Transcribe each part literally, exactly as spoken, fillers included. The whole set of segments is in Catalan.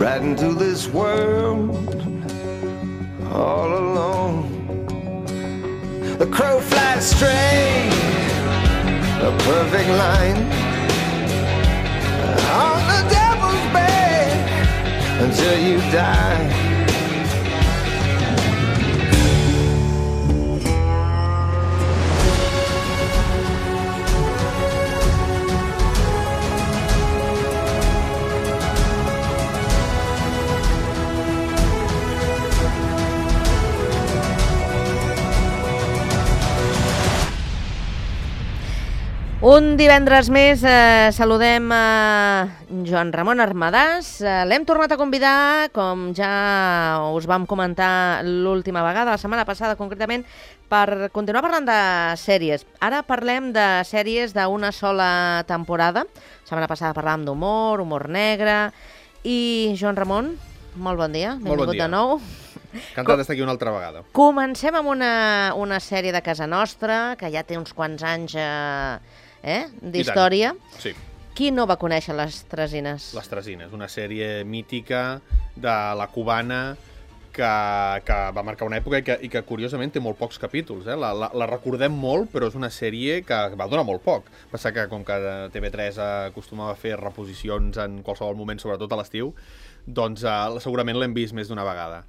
right into this world all alone. The crow flies straight, a perfect line, on the devil's bed until you die. Un divendres més eh, saludem a Joan Ramon Armadàs. Eh, L'hem tornat a convidar, com ja us vam comentar l'última vegada, la setmana passada concretament, per continuar parlant de sèries. Ara parlem de sèries d'una sola temporada. La setmana passada parlàvem d'humor, humor negre. I Joan Ramon, molt bon dia. Molt bon dia. De nou. Encantat d'estar aquí una altra vegada. Comencem amb una, una sèrie de casa nostra, que ja té uns quants anys eh, eh, d'història. Sí. Qui no va conèixer Les Tresines? Les Tresines, una sèrie mítica de la cubana que, que va marcar una època i que, i que curiosament té molt pocs capítols. Eh? La, la, la recordem molt, però és una sèrie que va durar molt poc. Passa que com que T V tres acostumava a fer reposicions en qualsevol moment, sobretot a l'estiu, doncs eh, segurament l'hem vist més d'una vegada.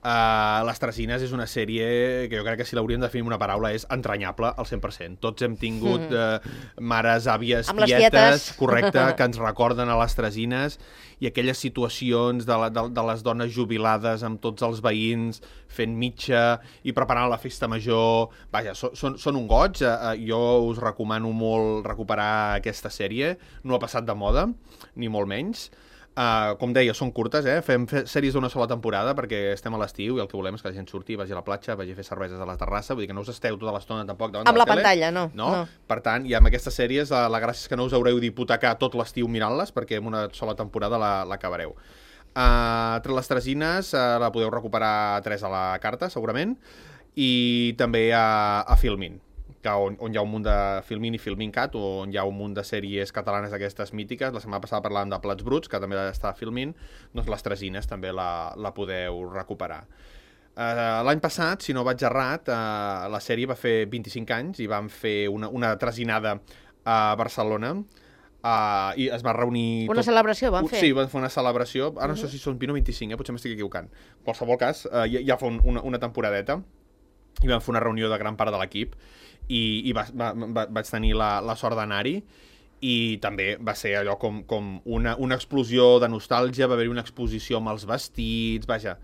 Uh, Les Tresines és una sèrie que jo crec que si l'hauríem de definir una paraula és entranyable al cent per cent. Tots hem tingut uh, mares, àvies, amb tietes, correcte, que ens recorden a Les Tresines i aquelles situacions de, la, de, de les dones jubilades amb tots els veïns fent mitja i preparant la festa major. Vaja, so, són, són un goig. Uh, jo us recomano molt recuperar aquesta sèrie. No ha passat de moda, ni molt menys. Uh, com deia, són curtes, eh? Fem sèries d'una sola temporada perquè estem a l'estiu i el que volem és que la gent surti, vagi a la platja, vagi a fer cerveses a la terrassa, vull dir que no us esteu tota l'estona tampoc davant amb de la, la tele. pantalla, no. no. no. Per tant, i amb aquestes sèries, uh, la gràcia és que no us haureu d'hipotecar tot l'estiu mirant-les perquè en una sola temporada l'acabareu. Uh, Les Tresines uh, la podeu recuperar a tres a la carta, segurament, i també a, a Filmin, que on, on hi ha un munt de Filmin i Filmincat, on hi ha un munt de sèries catalanes d'aquestes mítiques. La setmana passada parlàvem de Plats Bruts, que també està a Filmin, doncs Les Tresines també la, la podeu recuperar. Uh, L'any passat, si no vaig errat, uh, la sèrie va fer vint-i-cinc anys i vam fer una, una tresinada a Barcelona, uh, i es va reunir... Una tot... celebració van fer? Sí, van fer una celebració, ara no sé si són vint o vint-i-cinc, eh? Potser m'estic equivocant. En qualsevol cas, uh, ja, ja fa un, una, una temporadeta, i vam fer una reunió de gran part de l'equip, i, i va, va, va, vaig tenir la, la sort d'anar-hi, i també va ser allò com, com una, una explosió de nostàlgia, va haver-hi una exposició amb els vestits, vaja,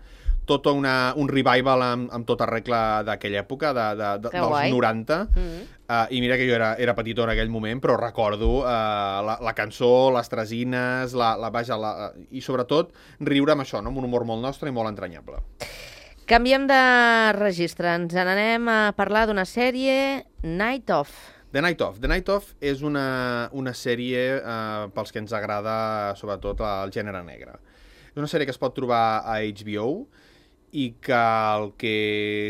tot una, un revival amb, amb tota regla d'aquella època, de, de, de, dels guai. noranta, mm-hmm. uh, i mira que jo era, era petitó en aquell moment, però recordo uh, la, la cançó, les tresines, la, la, vaja, la, i sobretot riure amb això, no? Amb un humor molt nostre i molt entranyable. Canviem de registre, ens n'anem a parlar d'una sèrie, Night Of. The Night Of. The Night Of és una, una sèrie eh, pels que ens agrada sobretot el gènere negre. És una sèrie que es pot trobar a H B O i que el que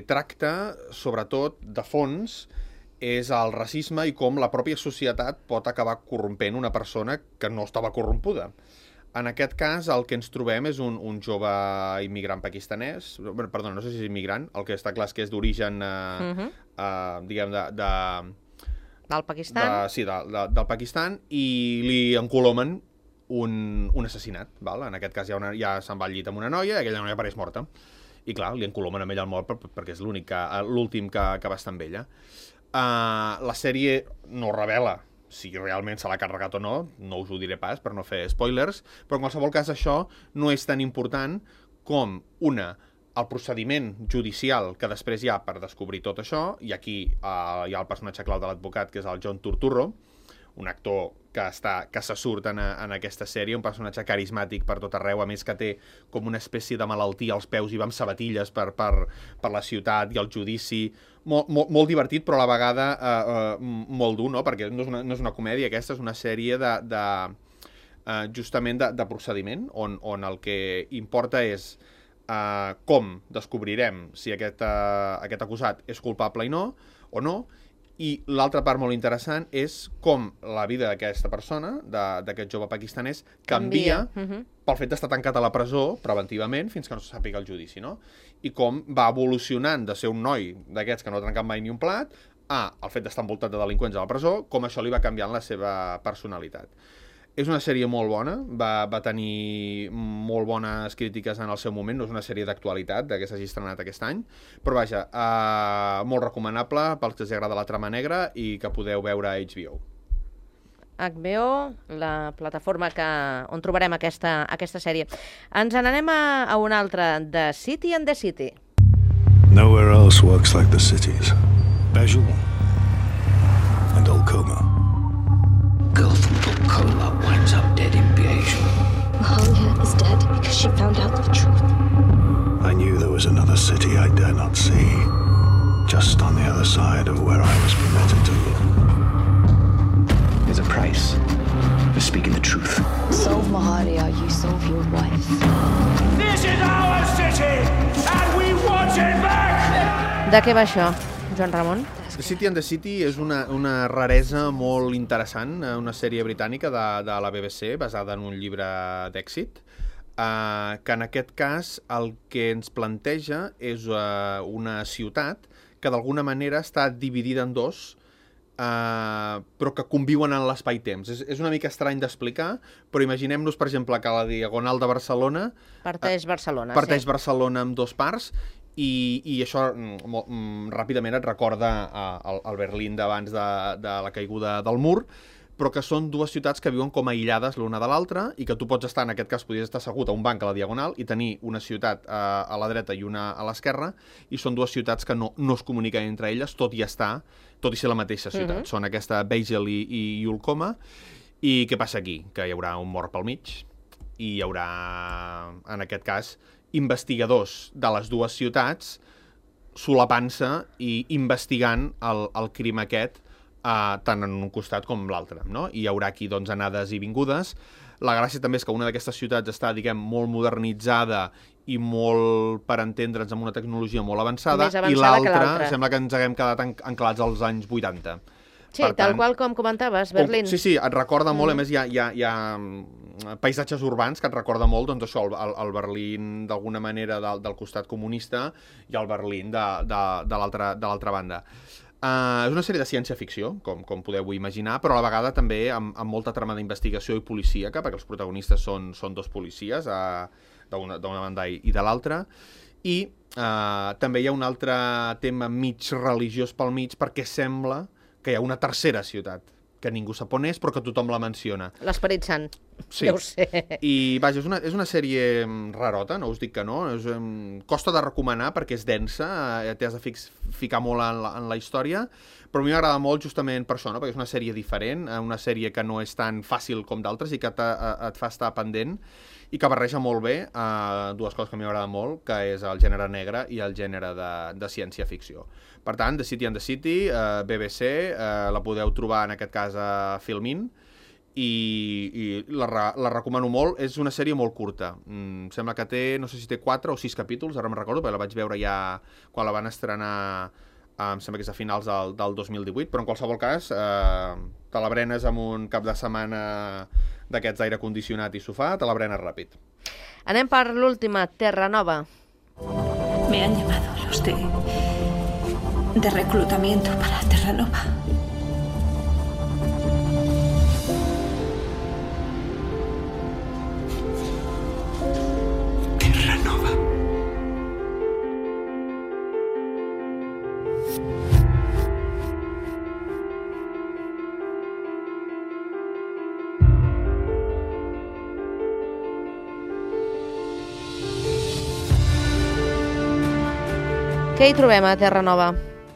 tracta, sobretot, de fons, és el racisme i com la pròpia societat pot acabar corrompent una persona que no estava corrompuda. En aquest cas, el que ens trobem és un, un jove immigrant pakistanès, perdona, no sé si és immigrant, el que està clar és que és d'origen, eh, uh-huh. eh, diguem, de... de del Pakistan? De, sí, de, de, del Pakistan, i li encolomen un, un assassinat, val? En aquest cas ja, una, ja se'n va al llit amb una noia, i aquella noia apareix morta. I clar, li encolomen amb ella al mort per, perquè és l'únic, l'últim que, que va estar amb ella. Uh, la sèrie no revela si realment se l'ha carregat o no, no us ho diré pas per no fer spoilers, però en qualsevol cas això no és tan important com, una, el procediment judicial que després hi ha per descobrir tot això, i aquí eh, hi ha el personatge clau de l'advocat, que és el John Turturro, un actor que, està, que se surt en, en aquesta sèrie, un personatge carismàtic per tot arreu, a més que té com una espècie de malaltia als peus i va amb sabatilles per, per, per la ciutat i el judici, molt, molt, molt divertit, però a la vegada eh, eh, molt dur, no? Perquè no és, una, no és una comèdia, aquesta és una sèrie de, de, eh, justament de, de procediment, on, on el que importa és eh, com descobrirem si aquest, eh, aquest acusat és culpable i no, o no, I l'altra part molt interessant és com la vida d'aquesta persona, d'aquest jove pakistanès, canvia, canvia. Uh-huh. pel fet d'estar tancat a la presó preventivament fins que no se sàpiga el judici, no? I com va evolucionant de ser un noi d'aquests que no ha trencat mai ni un plat a el fet d'estar envoltat de delinqüents a la presó, com això li va canviant la seva personalitat. És una sèrie molt bona, va, va tenir molt bones crítiques en el seu moment, no és una sèrie d'actualitat, que s'hagi estrenat aquest any, però vaja, eh, molt recomanable pels que els agrada la trama negra i que podeu veure a H B O. H B O, la plataforma que, on trobarem aquesta, aquesta sèrie. Ens n'anem a, a una altra, The City and the City. Nowhere else works like the cities. Bajul and Olcoma. Girl from Olcoma winds up dead in Bajul. Mahalia is dead because she found out the truth. I knew there was another city I dare not see, just on the other side of where I was permitted to look. There's a price for speaking the truth. Solve Mahalia, you solve your wife. This is our city, and we want it back! De què va això, Joan Ramon? The City and the City és una, una raresa molt interessant, una sèrie britànica de, de la B B C basada en un llibre d'èxit, eh, que en aquest cas el que ens planteja és eh, una ciutat que d'alguna manera està dividida en dos, eh, però que conviuen en l'espai-temps. És, és una mica estrany d'explicar, però imaginem-nos, per exemple, que la Diagonal de Barcelona... Parteix Barcelona, parteix sí. Barcelona amb dos parts, I, i això mm, mm, ràpidament et recorda el, el Berlín d'abans de, de la caiguda del mur, però que són dues ciutats que viuen com aïllades l'una de l'altra i que tu pots estar, en aquest cas, podries estar assegut a un banc a la Diagonal i tenir una ciutat a, a la dreta i una a l'esquerra, i són dues ciutats que no, no es comuniquen entre elles, tot i estar, tot i ser la mateixa ciutat. Uh-huh. Són aquesta Bajul i, i Olcoma. I què passa aquí? Que hi haurà un mort pel mig i hi haurà, en aquest cas, investigadors de les dues ciutats solapant-se i investigant el, el crim aquest, eh, tant en un costat com l'altre, no? I hi haurà aquí doncs, anades i vingudes. La gràcia també és que una d'aquestes ciutats està, diguem, molt modernitzada i molt, per entendre'ns, amb una tecnologia molt avançada, avançada i l'altra sembla que ens haguem quedat anclats als anys vuitanta. Sí, per tal tant, qual com comentaves, Berlín. Com, sí, sí, et recorda molt, mm. a més hi ha, hi, ha, hi ha paisatges urbans que et recorda molt, doncs això, el, el Berlín d'alguna manera del, del costat comunista i el Berlín de, de, de l'altra banda. Uh, és una sèrie de ciència-ficció, com, com podeu imaginar, però a la vegada també amb, amb molta trama d'investigació i policíaca, perquè els protagonistes són, són dos policies, uh, d'una banda i, i de l'altra, i uh, també hi ha un altre tema mig religiós pel mig, perquè sembla que hi ha una tercera ciutat, que ningú sap on és, però que tothom la menciona. L'Esperit Sant, sí. Deu ser. I, vaja, és una, és una sèrie rarota, no us dic que no, és, um, costa de recomanar perquè és densa, eh, t'has de fix, ficar molt en la, en la història, però a mi m'agrada molt justament per això, no? Perquè és una sèrie diferent, una sèrie que no és tan fàcil com d'altres i que et fa estar pendent, i que barreja molt bé eh, dues coses que a mi m'agrada molt, que és el gènere negre i el gènere de, de ciència-ficció. Per tant, The City and the City, eh, B B C, eh, la podeu trobar en aquest cas a Filmin, i, i la, la recomano molt. És una sèrie molt curta. Mm, sembla que té, no sé si té quatre o sis capítols, ara me'n recordo, perquè la vaig veure ja quan la van estrenar, eh, em sembla que és a finals del, del dos mil divuit, però en qualsevol cas, eh, te la brenes amb un cap de setmana d'aquests aire condicionat i sofà, te la brenes ràpid. Anem per l'última, Terranova. Me han llamado los de... de reclutamiento para Terranova. Terranova. Què hi trobem a Terranova?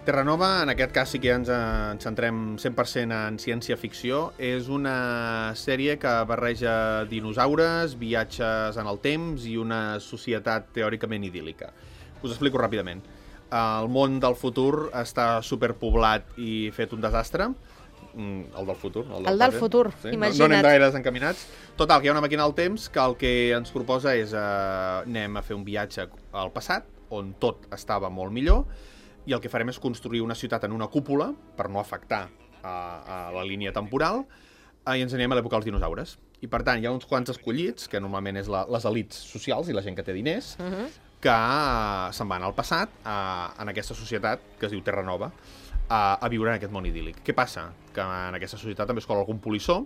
Terranova, en aquest cas sí que ja ens, ens centrem cent per cent en ciència-ficció. És una sèrie que barreja dinosaures, viatges en el temps i una societat teòricament idíl·lica. Us explico ràpidament. El món del futur està superpoblat i fet un desastre. El del futur. El del, el del futur, sí? imagina't. No, no anem gaire encaminats. Total, que hi ha una màquina del temps que el que ens proposa és eh, anem a fer un viatge al passat, on tot estava molt millor, i el que farem és construir una ciutat en una cúpula per no afectar a, a la línia temporal, i ens anem a l'època dels dinosaures. I per tant, hi ha uns quants escollits, que normalment és la, les elites socials i la gent que té diners, uh-huh. que se'n van al passat, a, en aquesta societat que es diu Terra Nova, a, a viure en aquest món idíl·lic. Què passa? Que en aquesta societat també es cola algun polissó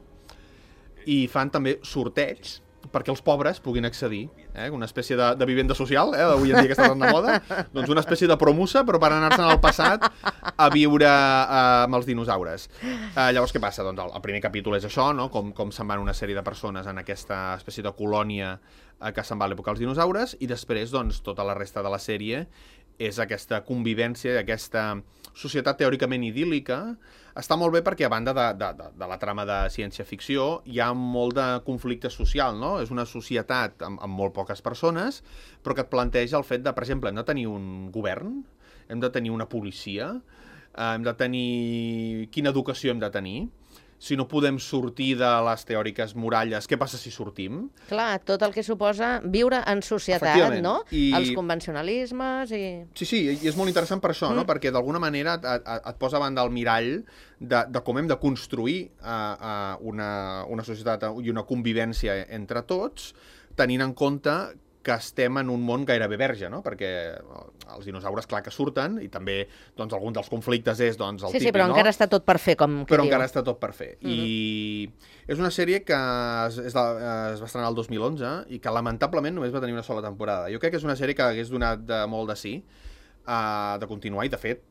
i fan també sorteig perquè els pobres puguin accedir, eh? Una espècie de, de vivenda social, eh? D'avui en dia que està tan de moda, doncs una espècie de promusa, però per anar-se'n al passat a viure eh, amb els dinosaures. Eh, llavors, què passa? Doncs el, el primer capítol és això, no? Com, com se'n van una sèrie de persones en aquesta espècie de colònia eh, que se'n va a l'època dels dinosaures, i després, doncs, tota la resta de la sèrie és aquesta convivència, aquesta societat teòricament idíl·lica. Està molt bé perquè, a banda de, de, de, de la trama de ciència-ficció, hi ha molt de conflicte social, no? És una societat amb, amb molt poques persones, però que et planteja el fet de, per exemple, hem de tenir un govern, hem de tenir una policia, eh, hem de tenir... Quina educació hem de tenir? Si no podem sortir de les teòriques muralles, què passa si sortim? Clar, tot el que suposa viure en societat, no? I... Els convencionalismes i... Sí, sí, i és molt interessant per això, mm. no? Perquè d'alguna manera et, et, et posa davant del mirall de, de com hem de construir uh, uh, una, una societat i una convivència entre tots, tenint en compte que estem en un món gairebé verge, no? Perquè els dinosaures, clar que surten, i també, doncs, algun dels conflictes és, doncs, el sí, típic, sí, però no? encara està tot per fer, com que Però diu. encara està tot per fer. Mm-hmm. I és una sèrie que es, es, es va estrenar el dos mil onze i que, lamentablement, només va tenir una sola temporada. Jo crec que és una sèrie que hagués donat de, molt de sí, uh, de continuar, i, de fet,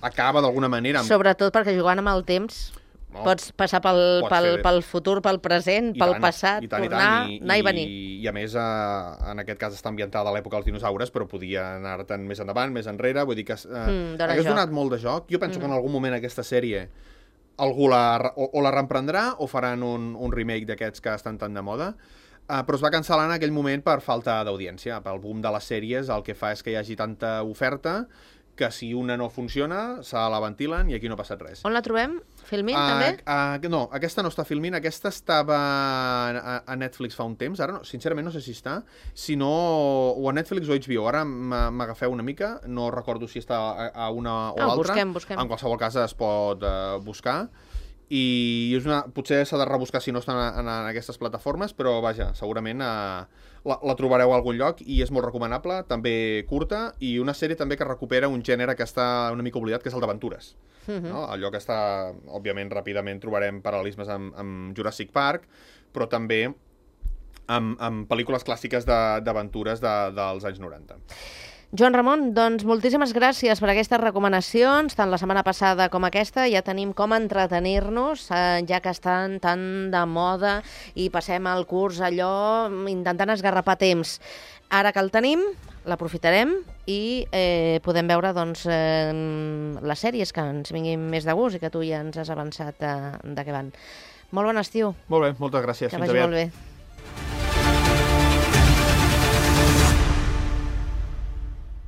acaba d'alguna manera... Amb... Sobretot perquè jugant amb el temps... No, pots passar pel, pots pel, pel futur, pel present, I pel tant, passat, i tant, tornar, i tant, i, anar i venir. I, i a més, eh, en aquest cas està ambientada a l'època dels dinosaures, però podia anar-te'n més endavant, més enrere, vull dir que eh, mm, hagués joc. donat molt de joc. Jo penso mm. que en algun moment aquesta sèrie algú la, o, o la reemprendrà o faran un, un remake d'aquests que estan tan de moda, eh, però es va cancel·lar en aquell moment per falta d'audiència. Pel boom de les sèries el que fa és que hi hagi tanta oferta que si una no funciona, se la ventilen i aquí no ha passat res. On la trobem? Filmint, uh, també? Uh, no, aquesta no està filmint, aquesta estava a, a Netflix fa un temps, ara no, sincerament no sé si està, si no, o a Netflix o H B O, ara m'agafeu una mica, no recordo si està a, a una o ah, l'altra, busquem, busquem. En qualsevol cas es pot uh, buscar, i és una, potser s'ha de rebuscar si no estan en, en aquestes plataformes, però vaja, segurament uh, la, la trobareu a algun lloc i és molt recomanable, també curta, i una sèrie també que recupera un gènere que està una mica oblidat, que és el d'aventures. Uh-huh. No? Allò que està, òbviament, ràpidament trobarem paral·lelismes amb, amb Jurassic Park, però també amb, amb pel·lícules clàssiques d'aventures de, de, dels anys noranta. Joan Ramon, doncs moltíssimes gràcies per aquestes recomanacions, tant la setmana passada com aquesta. Ja tenim com entretenir-nos, eh, ja que estan tan de moda i passem el curs allò intentant esgarrapar temps. Ara que el tenim, l'aprofitarem i eh, podem veure doncs, eh, les sèries que ens vinguin més de gust i que tu ja ens has avançat de, de què van. Molt bon estiu. Molt bé, moltes gràcies. Que Fins vagi aviat. molt bé.